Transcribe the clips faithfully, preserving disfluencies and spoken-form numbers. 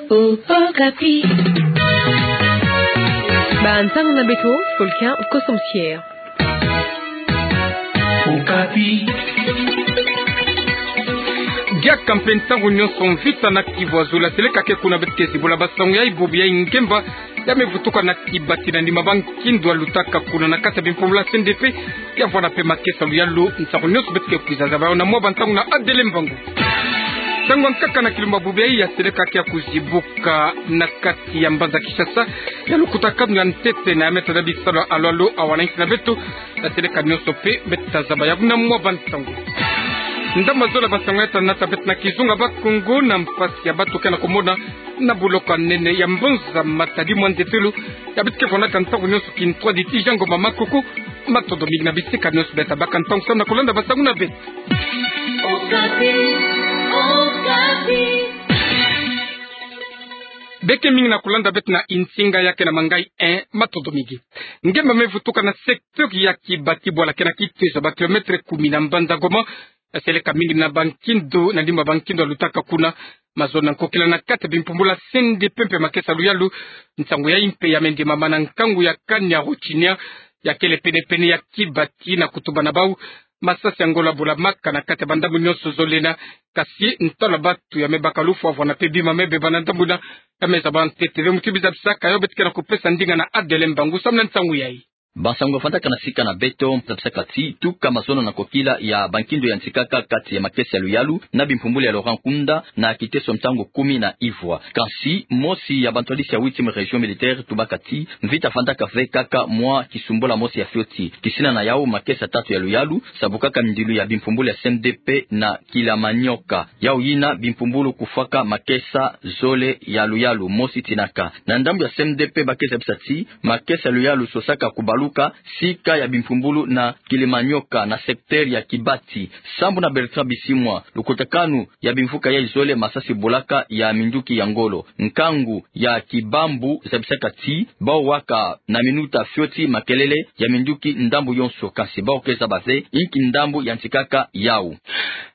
Okapi. Bantangu na beto, Fulcan Kosom Thier. Okapi. Diaka mpe ntangu nyonso mvita na Kivu Azul, seleka ke kuna beto ke zibola basango ya bubu ya ngemba ya me vutuka na kibati na nima ba nkindu ya lutaka kuna na kati ya bimpumbulu ya C N D P, ya vwanda mpe makesa luyalu. Ntangu nyonso beto ke kwiza zaba yo na mwa bantangu na Adele Mvangu. Ntangu ya nkaka na kilumbu ya bubu yayi ya seleka ke ya kuzibuka na kati ya mbanza Kinshasa, ya lukutakanu ya ntete na ya me tanda bisalu ya alo alo ya wana nsi na beto, ya seleka nyonso mpe beto ta zaba yawu na mwa bantangu. Ndambu ya zole ya basango ya ta nata beto na kizunga Bakongo na mpasi ya bato ke na kumona na boloko ya nene ya mbonza Matadi mwa nzitulu, ya beto ke vwandaka ntangu nyonso kintwadi ti Jean Ngoma Makuku. Matondo mingi na bisika nyonso beto ta baka ntangu samu na kulanda basango na beto. Okapi, Okapi. Beke mingi na kulanda beto na insinga ya ke na mangai, eh, matondo mingi. Ngemba me vutuka na secteur ya kibati bwala ke na kitezo ba kilomètre kumi na mbanza Goma, ya seleka mingi na ba nkindu, na nima ba nkindu ya lutaka kuna, mazono na nkokila na kati ya bimpumbulu ya C N D P mpe makesa luyalu. Nsangu yayi mpe ya me ndimama na nkangu ya kani ya Rochinia, ya kele pene-pene ya kibati, na kutuba na bau, masasi ya ngolo ya bola maka na kati ya bandambu nyonso zole ina, kasi ntwala ya bato ya me baka lufwa vwanda mpe bima me beba na ndambu ina, ya me zaba ntete ve muti biza bisaka yo. Beto ke na kupesa ndinga na Adele Mvangu samu na nsangu yayi. Bansangu ya vwandaka na sika na beto, mpe za bisaka ti, tuka mazono na nkokila ya ba nkindu ya nsikaka kati ya makesa ya luyalu na bimpumbulu ya Laurent Nkunda na kiteso ntangu kumi na ivwa. Kansi, mosi ya bantwadisi ya huitième région militaire tubaka ti, mvita vwandaka ve kaka mwa kisumbula mosi ya fioti. Kisina na yau, makesa tatu ya luyalu sabukaka mindilu ya bimpumbulu ya C N D P na Kilimanyoka. Yau ina bimpumbulu kufwaka makesa zole ya luyalu, mosi tinaka. Na ndambu ya C N D P ba ke zabisa ti, makesa ya luyalu sosaka kubaluka sika ya bimpumbulu na Kilimanyoka na secteur ya Kibati. Sambu na Bertrand Bisimwa, lukutakanu ya bimvuka yayi zole masasi bolaka ya minduki ya ngolo. Nkangu ya Kibambu zabisaka ti, bau waka na minuta fioti makelele ya minduki ndambu yonso, kansi bau ke zaba ve inki ndambu ya nsikaka yau.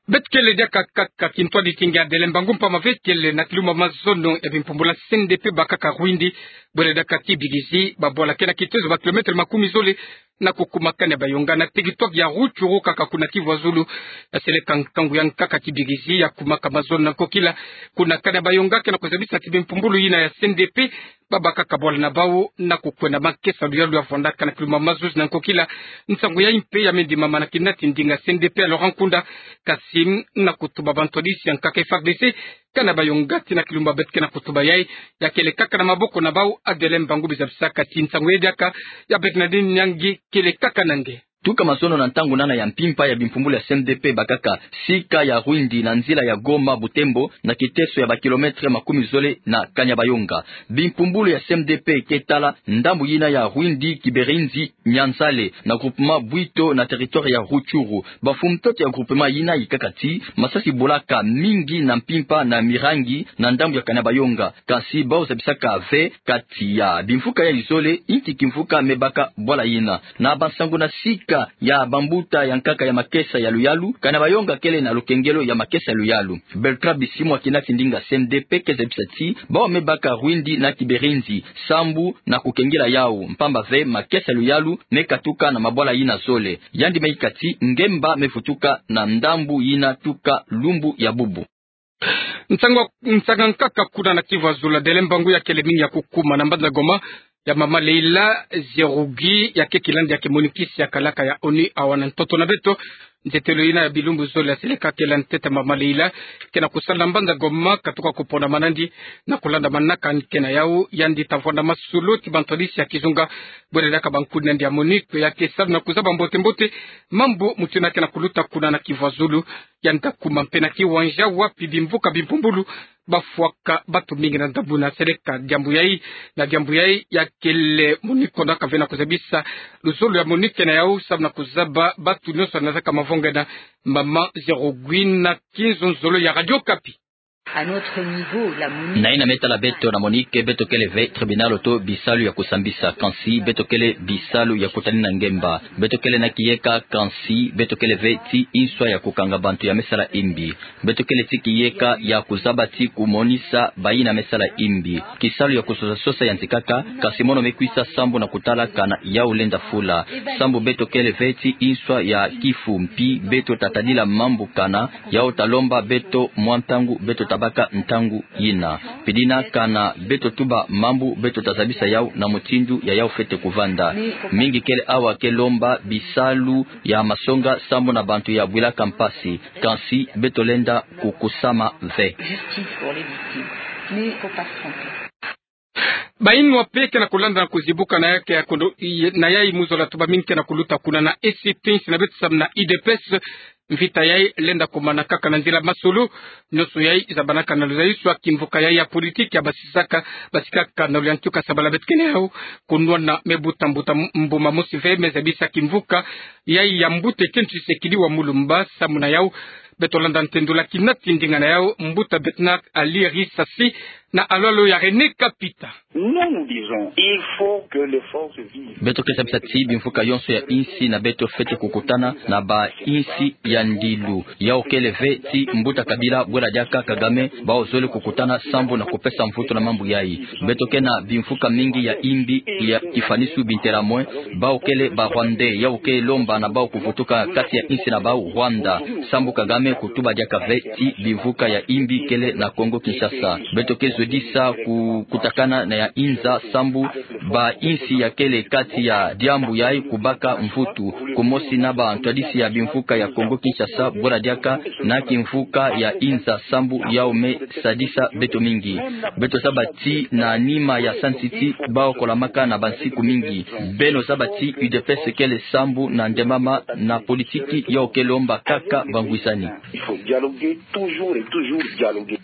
Beto kele diaka kaka kintwadi ti nge Adele Mvangu, mpamba ve kele na kilumbu ya mazono ya bimpumbulu ya C N D P bakaka Rwindi, bwele diaka ti Bigizi, babwala ke na kitezo ba kilomètre makumi zole na kukuma Kanyabayonga, na territoire ya Rutshuru kaka kuna Kivu ya Zulu. Ya seleka nkangu ya nkaka ti Bigizi ya kumaka mazono na nkokila kuna Kanyabayonga, ke na kuzabisa ti bimpumbulu ina ya C N D P babakaka bwala na bau na kukwenda makesa ya luyalu ya vwandaka na kilumbu ya mazuzi na nkokila. Nsangu yayi mpe ya me ndimama na kina ti ndinga C N D P ya Laurent Nkunda, kasi na kutuba bantwadisi ya nkaka F A R D C Kanyabayonga ti na kilumbu beto ke na kutuba yayi, ya kele kaka na maboko na bau. Adele Mvangu, biza bisaka ti nsangu yayi diaka ya Bernardine Nyangi kele kaka na nge. Tuka mazono na ntangu nana ya mpimpa ya bimpumbulu ya C N D P bakaka sika ya Rwindi na nzila ya Goma Butembo na kiteso ya ba kilomètre makumi zole na Kanyabayonga. Bimpumbulu ya C N D P ke tala ndambu ina ya Rwindi, Kiberinzi, Nyanzale, na groupement Bwito na territoire ya Rutshuru. Bamfumu ntoto ya groupement ina yikaka ti, masasi bolaka mingi na mpimpa na Mirangi na ndambu ya Kanyabayonga. Kansi bau zabisaka ve kati ya bimvuka yayi zole inki kimvuka me baka bwala ina. Na bansangu na sika ya bambuta ya nkaka ya makesa ya luyalu, Kanyabayonga kele na lukengelo ya makesa ya luyalu. Bertrand Bisimwa, kina ti ndinga C N D P, ke zabisa ti, bau me baka Rwindi na Kiberinzi sambu na kukengila yau, mpamba ve makesa ya luyalu me katuka na mabwala ina zole. Yandi me yika ti ngemba me vutuka na ndambu ina tuka lumbu ya bubu. Nsanga, nsanga nkaka kuna na Kivu ya Zulu, Adele Mvangu, ya kele mingi ya kukuma na mbanza Goma ya mama Leila Zerrougui, ya ke kilandi ya ke monikisi ya kalaka ya ONU awa na ntoto na beto. Ntetelo ina ya bilumbu zole ya seleka kela ntete mama Leila ke na kusala na mbanza Goma, katuka kupona manandi na kulanda manaka ke na yau. Yandi ta vwanda masolo ti bantwadisi ya kizunga, bwele diaka bankudi nandi ya MONUC, ya ke salu na kuzaba mbote-mbote mambu mutindu ke na kuluta kuna na Kivu ya Zulu. Yandi ta kuma mpe na kiwanja wapi bimvuka bimpumbulu bafwaka bato mingi na ndambu ina. Seleka diambu yayi, na diambu yayi ya kele MONUC konda ka vena kuzabisa luzolo ya MONUC na yau, samu na kuzaba bato nyonso na zaka mavonga ina. Mama Zerrougui na kinzonzolo ya Radio Okapi. Na yina me tala beto na MONUC, beto kele ve tribunal to bisalu ya kusambisa, kansi beto kele bisalu ya kutanina ngemba. Beto kele na kiyeka, kansi beto kele ve ti inswa ya kukanga bantu ya me sala imbi. Beto kele ti kiyeka ya kuzaba ti kumonisa bayina me sala imbi. Kisalu ya kusosa-sosa ya nzikaka, kansi mono me kwisa sambu na kutala kana yau lenda fula. Sambu beto kele ve ti inswa ya kifu, mpi beto tatadila mambu kana yau talomba beto mwa ntangu beto tabaka ntangu yina. Pidina kana beto tuba mambu beto tazabisa yau na mutindu ya yau fwete kuvanda. Mingi kele awa ke lomba bisalu ya masonga sambu na bantu ya bwilaka mpasi. Kansi beto lenda kukusama ve. Justice pour les victimes. Mais faut pas se tromper. Bayinwa mpe ke na kulanda na kuzibuka na yai ke ya kondo i-, na yai mu zola tuba mingi ke na kuluta kuna na esi tinsi na beto samu na U D P S. Mvita yai lenda kumana kaka na nzila masolo. Nionso yai zabanaka na luzayiswa kimvuka yai ya politiki ya basisaka, basikaka na luyantika sabala beto kele yau. Kunwana me buta mbuta mbuma mosi ve me zabisa kimvuka yai ya mbuta Etienne Tshisekedi wa mu lumba samu na yau. Beto landa ntendula kina ti ndinga na yau mbuta Bernard Alir Isasi na alwalo ya René Kapita. Nous, nous disons, il faut que les forces vives. Beto ke zabisa ti bimvuka yonso ya insi na beto fwete kukutana na ba insi ya ndilu. Yau kele ve ti mbuta Kabila, bwela diaka Kagame, bau zole kukutana sambu na kupesa mvutu na mambu yai. Beto ke na bimvuka mingi ya imbi ya kifanisu bintelamwe. Bau kele ba Rwandais, yau ke lomba na bau kuvutuka kati ya insi na bau Rwanda. Sambu Kagame kutuba diaka ve ti bimvuka ya imbi kele na Congo Kinshasa. Beto ke zodisa ku-, kutakana na ya inza sambu ba insi ya kele kati ya diambu yai kubaka mvutu. Kumosi na ba ntwadisi ya bimvuka ya Congo Kinshasa, bwela diaka na kimvuka ya inza sambu yau me sadisa beto mingi. Beto zaba ti na nima ya sansi ti bau kolamaka na bansiku mingi. Beno zaba ti U D P S kele sambu na ndemama na politiki, yau ke lomba kaka bangwisani. Il faut dialoguer, toujours et toujours dialoguer.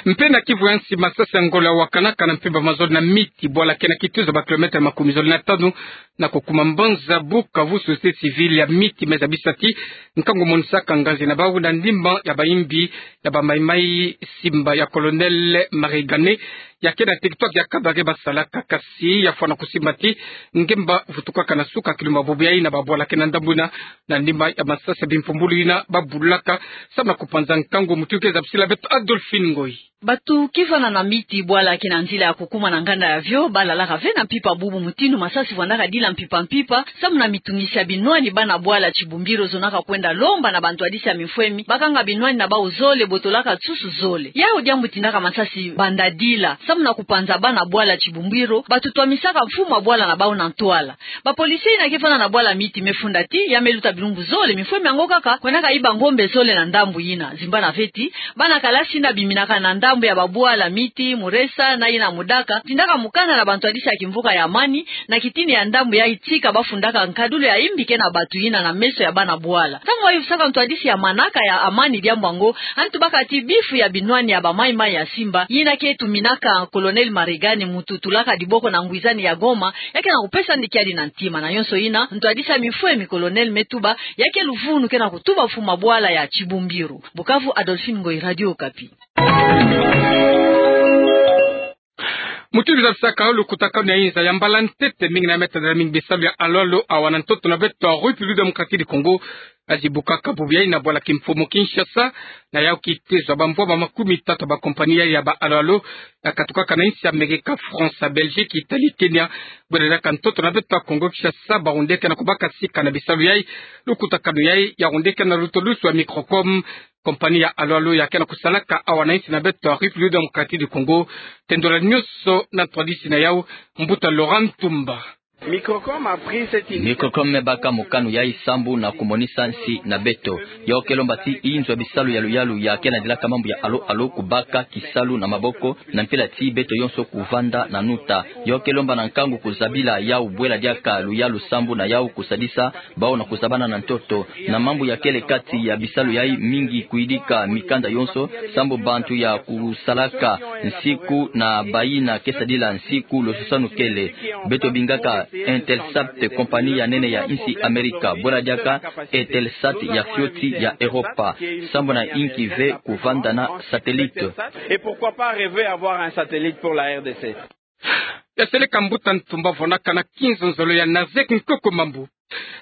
Mpe na Kivu ya nsi, masasi ya ngolo yawakanaka na mpimpa mazole na Miti, bwala ke na kituza ba kilomètre makumi zole na tanu na kukuma mbanza Bukavu. Société civile ya Miti me zabisa ti nkangu monisaka nganzi na bau na ndimba ya bayimbi ya ba Maï-Maï, simba ya Colonel Marie-Gane, ya ke na territoire ya Kabare basalaka, kasi ya fwana kusimba ti ngemba vutukaka na suka kilumbu bubu yai na babwala ke na ndambu yina na ndimba ya masasi ya bimpumbulu yina babulaka samu na kupanza nkangu. Mutindu ke zabisila beto Adolphine Ngoyi. Bato ke vanda na Miti, bwala ke na nzila ya kukuma na nganda ya Vio, balalaka ve na mpimpa bubu mutindu masasi vandaka dila mpimpa mpimpa, samu na mitungisi ya binwani. Bana bwala Chibumbiro zonaka kwenda lomba na bantwadisi ya mifwemi bakanga binwani na bau zole, botolaka nsusu zole. Yau diambu tindaka masasi banda dila, samu na kupanza bana bwala Chibumbiro, bato twamisaka mfumu ya bwala na bau na ntwala. Ba policiers yina ke vanda na bwala Miti me funda ti ya me luta bilumbu zole mifwemi yango kaka kwendaka yiba ngombe zole na ndambu yina. Zimbana ve ti bana kalasi yina biminaka na ndambu ya babwala Miti, Muresa na yina Mudaka, tindaka mukanda na bantwadisi ya kimvuka ya amani, na kitini ya ndambu yai tika bafundaka nkadulu ya imbi ke na bato yina na meso ya bana bwala. Ntangu bayuvisaka ntwadisi ya manaka ya amani diambu yango, yandi tubaka ti bifu ya binwani ya ba Maï-Maï ya simba, yina ke tuminaka Colonel Marie-Gane, mutu tulaka diboko na ngwizani ya Goma, ya ke na kupesa yandi kiadi na ntima. Na yonso yina, ntwadisi ya mifwemi Colonel me tuba ya ke luvunu ke na kutuba mfumu ya bwala ya Chibumbiro. Bukavu, Adolphine Ngoyi, Radio Okapi. Mutindu zabisaka lukutakanu ya inza ya mbala ntete, mingi na me tadila mingi bisalu ya alo-alo awa na ntoto na beto République Démocratique du Congo, zibukaka bubu yai na bwala kimfumu Kinshasa, na yau kitezo ya bambwama makumi tatu ya ba compagnie yai ya ba alo-alo, yakatukaka na insi ya Amerika, France, Belgique, Italie, Kenya. Bwela diaka ntoto na beto Congo Kinshasa, bahunde ke na kubaka sika na bisalu yai. Lukutakanu yai yahunde ke na lutulusu ya Microcom, compagnie ya alo-alo ya ke na kusalaka awa na insi na beto République Démocratique du Congo. Tendula nionso na ntwadisi na yau, mbuta Laurent Ntumba. Microcom a pris cette initiative. Microcom me baka mokano yai sambu na kumonisa nsi na beto. Yau ke lomba ti inzo ya bisalu ya luyalu ya ke na dilaka mambu ya alo-alo kubaka kisalu na maboko, na mpila ti beto yonso kuvanda na nuta. Yau ke lomba na nkangu kuzabila yau, bwela diaka luyalu sambu na yau kusadisa bau na kuzabana na ntoto. Na mambu ya kele kati ya bisalu yai, mingi kuyidika mikanda yonso, sambu bantu ya kusalaka nsiku na bayina ke sadila nsiku, losusanu kele. Beto bingaka Intelsat, kompani ya nene ya insi Amerika, bwela diaka Eutelsat ya fioti ya Europa, sambu na inki ve kuvanda na satellite. Et pourquoi pas rêver avoir un satellite pour la R D C? Yaseleka mbuta ntumba vonaka na kinzonzolo ya Nazek Nkoko Mambu.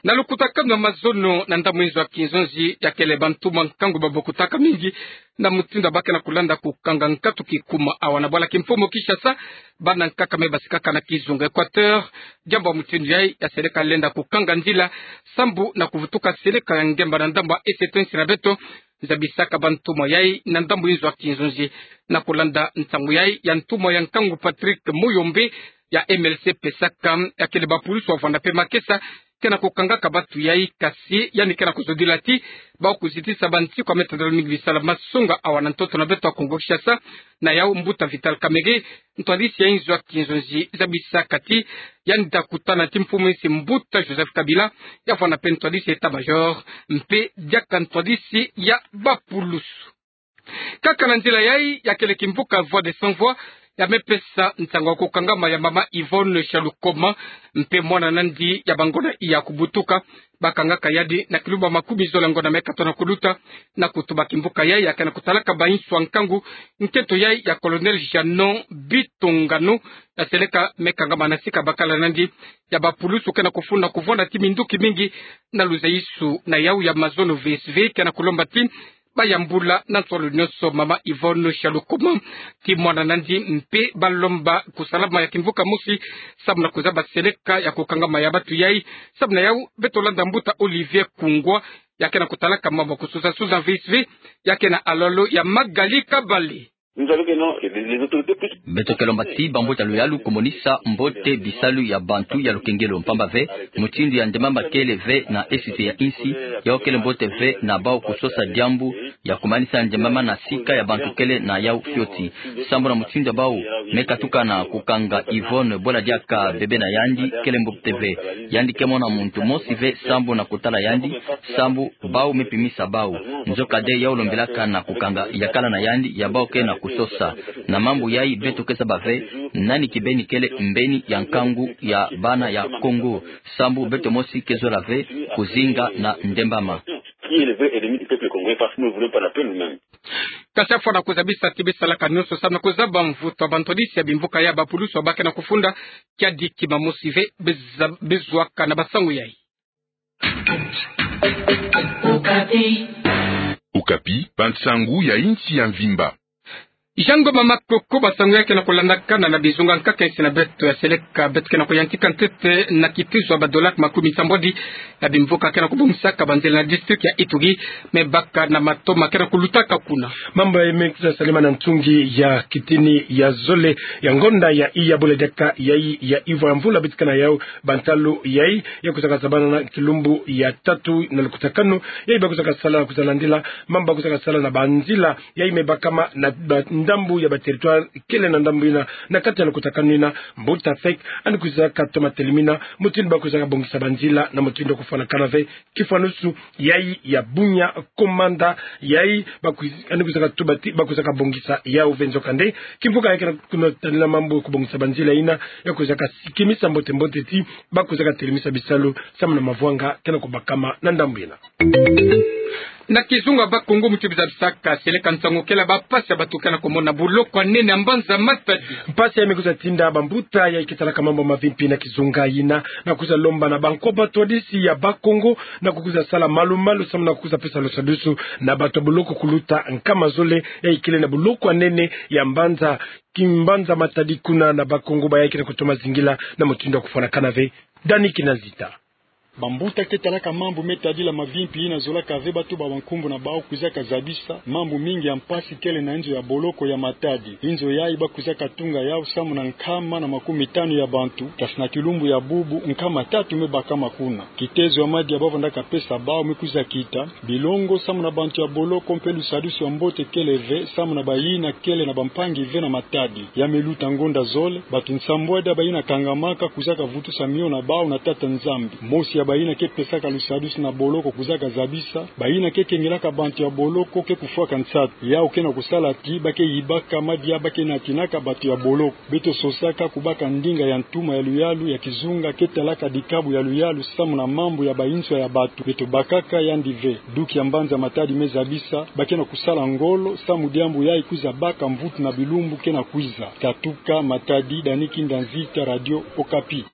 Na lukutakanu wa mazono na ndambu inzo ya kinzonzi, yakele bantumwa nkangu babokutaka mingi na mutindu ya ba ke na kulanda kukanga nkatu kikuma awa na bwala kimfumu Kinshasa, bana nkaka me basikaka na kizunga Equateur. Diambu ya mutindu yayi yaseleka lenda kukanga nzila sambu na kuvutuka seleka ya ngemba na ndambu ya eseto insi na beto, zabisaka bantumwa yayi na ndambu inzo ya kinzonzi. Na kulanda nsangu yayi ya ntumwa ya nkangu Patrick Muyombe ya M L C pesaka, yakele bapulusu wavwanda mpe makesa ke na kukangaka batu yayi, kasi yandi ke na kuzodila ti bawu kuzitisa bansiku ya me tadala mingi bisalu ya masonga awa na ntoto na beto ya Kongo Kinshasa. Na yawu mbuta Vital Kamerhe, ntwadisi ya inzo ya kinzonzi, zabisaka ti yandi ta kutana ti mfumu insi mbuta Joseph Kabila, yavwanda mpe ntwadisi ya état-major, mpe diaka ntwadisi ya bapulusu. Kaka na nzila yayi, yakele kimvuka Voix des Sans Voix ya me pesa nsangu ya kukangama ya mama Yvonne Shalukoma mpe mwana nandi ya bangonda iya kubutuka. Bakangaka yandi na kilumbu ya makumi zole ya ngonda me katono kuluta. Na kutuba kimvuka yayi, ya ke na kutalaka bainsu ya nkangu, nkento yayi ya Colonel Jeannot Bitongano yaseleka me kangama na sika bakala nandi ya bapulusu ke na kufunda kuvwanda ti minduki mingi na luzayisu na yawu ya mazono V S V, ke na kulomba ti bayambula na nsolo nyonso mama Yvonne Shalukoma ti mwana nandi, mpe balomba kusalama ya kimvuka mosi sambu na kuzaba seleka ya kukangama ya batu yayi. Sambu na yawu beto landa mbuta Olivier Kungwa, ya ke na kutalaka mambu ya kusuza-suza V S V, ya ke na alolo ya Magali Kabale. Beto ke lomba ti bambuta luyalu kumonisa mbote bisalu ya bantu ya lukengelo, mpamba ve mutindu ya ndembama kele ve na esite ya insi, yawu kele mbote ve na bawu kusosa diambu ya kumanisa ndembama na sika ya bantu kele na yawu fioti. Sambu na mutindu ya bawu me katuka na kukanga Yvonne, bwela diaka bebe na yandi, kele mbote ve. Yandi ke mona muntu mosi ve sambu na kutala yandi, sambu bawu me pimisa bawu. Nzokande yawu lombelaka na kukanga yakala na yandi ya bawu ke na kusosa. Na mambu yayi beto ke zaba ve nani kibeni kele mbeni ya nkangu ya bana ya Kongo, sambu beto mosi ke zola ve kuzinga na ndembama. Qui est le vrai ennemi du peuple congolais, parce que nous ne voulons pas la paix nous-mêmes. Kasi afwana kuzabisa ti besalaka nyonso sambu na kuzaba mvutu ya bantwadisi ya bimvuka ya bapulusu ba ke na kufunda, kiadi kima mosi ve beza-, bezwaka na basangu yayi. Okapi, bansangu ya insi ya mvimba. Jango mama Koko, basangu yayi ke na kulandakana na bizunga nkaka insi na beto. Yaseleka beto ke na kuyantika ntete na kitizo ya badollar makumi sambwadi ya bimvuka ke na kubongisaka banzila na district ya Ituri, me baka na matoma ke na kulutaka kuna. Mambu yayi me kwiza salama na ntungi ya kitini ya zole ya ngonda ya iya, bwela diaka yayi ya ivwa ya mvula betika na yawu. Bantalu yayi ya kwizaka zabana na kilumbu ya tatu na lukutakanu yayi ba kwizaka sala na kwiza landila mambu ba kwizaka sala na banzila yayi me bakama na ba-, ndambu ya ba territoire kele na ndambu yina. Na kati ya lukutakanu yina, mbuta Fek andi kwizaka toma telemina mutindu ba kwizaka bongisa banzila na mutindu ya kufwanakana ve kifwanusu yayi ya Bunia, komanda yayi ba kwiz-, andi kwizaka tuba ti ba kwizaka bongisa yawu ve. Nzokande kimvuka yayi ke na kuno tadila mambu ya kubongisa banzila yina ya kwizaka kimisa mbote-mbote ti ba kwizaka telemisa bisalu samu na mavwanga ke na kubakama na ndambu yina. Na kizunga Bakongo, muti biza bisaka seleka nsangu kele bampasi ya bato ke na komona na boloko ya nene ya mbanza Matadi. Mpasi yayi me kwiza tinda bambuta yayi ke talaka mambu ya mavimpi na kizunga yina na kwiza lomba na bankwa batwadisi ya Bakongo na kukwiza sala malu-malu samu na kukwiza pesa lusadusu na bato ya boloko kuluta nkama zole yayi kele na boloko ya nene ya mbanza, kimbanza Matadi kuna na Bakongo, bayayi ke na kutoma zingila na mutindu ya kufwanakana ve. Dani Kinazita. Bambuta ke talaka mambu me tadila mavimpi yina zolaka ve bato ba bankumbu na bawu kwizaka zabisa mambu mingi ya mpasi kele na inzo ya boloko ya Matadi. Inzo yayi ba kwizaka tunga yawu samu na nkama na makumi tanu ya bantu, kasi na kilumbu ya bubu nkama tatu me bakama kuna. Kitezo ya madia ba vandaka pesa bawu me kwiza kita, bilongo samu na bantu ya boloko mpe lusadusu ya mbote kele ve samu na bayina kele na bampangi ve na Matadi. Ya me luta ngonda zole, bato nsambwadi ya bayina kangamaka kwizaka vutusa mio na bawu na Tata Nzambi. Mosi ya Bayina ke pesaka lusadusu na boloko kuzaka zabisa, bayina ke kengelaka bantu ya boloko ke kufwaka nsatu. Yau ke na kusala ti ba ke yibaka madia ba ke natinaka bantu ya boloko. Beto sosaka kubaka ndinga ya ntuma ya luyalu ya kizunga ke talaka dikabu ya luyalu samu na mambu ya banswa ya bantu. Beto bakaka yandi ve. Duki ya mbanza Matadi me zabisa ba ke na kusala ngolo samu diambu yayi kwiza baka mvutu na bilumbu ke na kwiza. Katuka Matadi, Dani Kinda Nzita, Radio Okapi.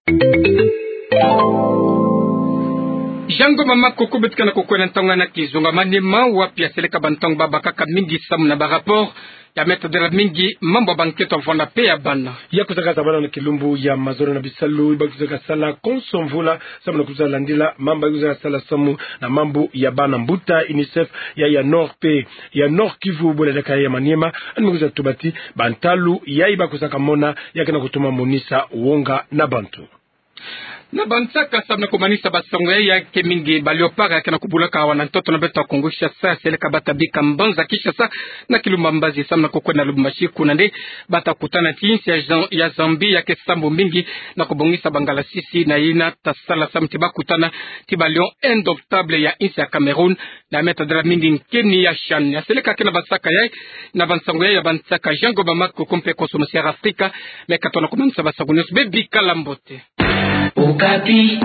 Jean Ngoma Makoko, beto ke na kukwenda ntangu na kizunga Maniema, wapi yaseleka bantangu babakaka mingi samu na ba rapport ya meta dela mingi mambu ya bankento ya vwanda pe ya bana. Ya kuzaka zabana na kilumbu ya mazono na bisalu ba kuzaka sala konso mvula samu na kwiza landila mambu ya kwiza sala samu na mambu ya bana, mbuta UNICEF ya, ya Nord pe ya Nord-Kivu, bwela diaka ya Maniema, yandi me kwiza tuba ti bantalu yayi ba kuzaka mona ya ke na kutuma monisa wonga na bantu. Na bansaka samu na kumanisa basango yayi, ya ke mingi ba léopard ya ke na kubulaka awa na ntoto na beto ya Kongo Kinshasa, yaseleka ba ta bika mbanza Kinshasa na kilumbu ya mbazi samu na kukwenda Lubumbashi, kuna nde ba ta kutana ti insi ya Zam-, ya Zambie ya ke sambu mingi na kubongisa bangalasisi, na yina ta sala samu ti ba kutana ti ba lion indomptable ya insi ya Cameroun, na meta dela mingi nkeni ya CHAN. Yaseleka ke na bansaka yayi, na bansango yayi ya bansaka, Jean Ngoma Makoko mpe konso masiara Afrika me katono kumanisa basango nyonso. Bebikala mbote. Okapi.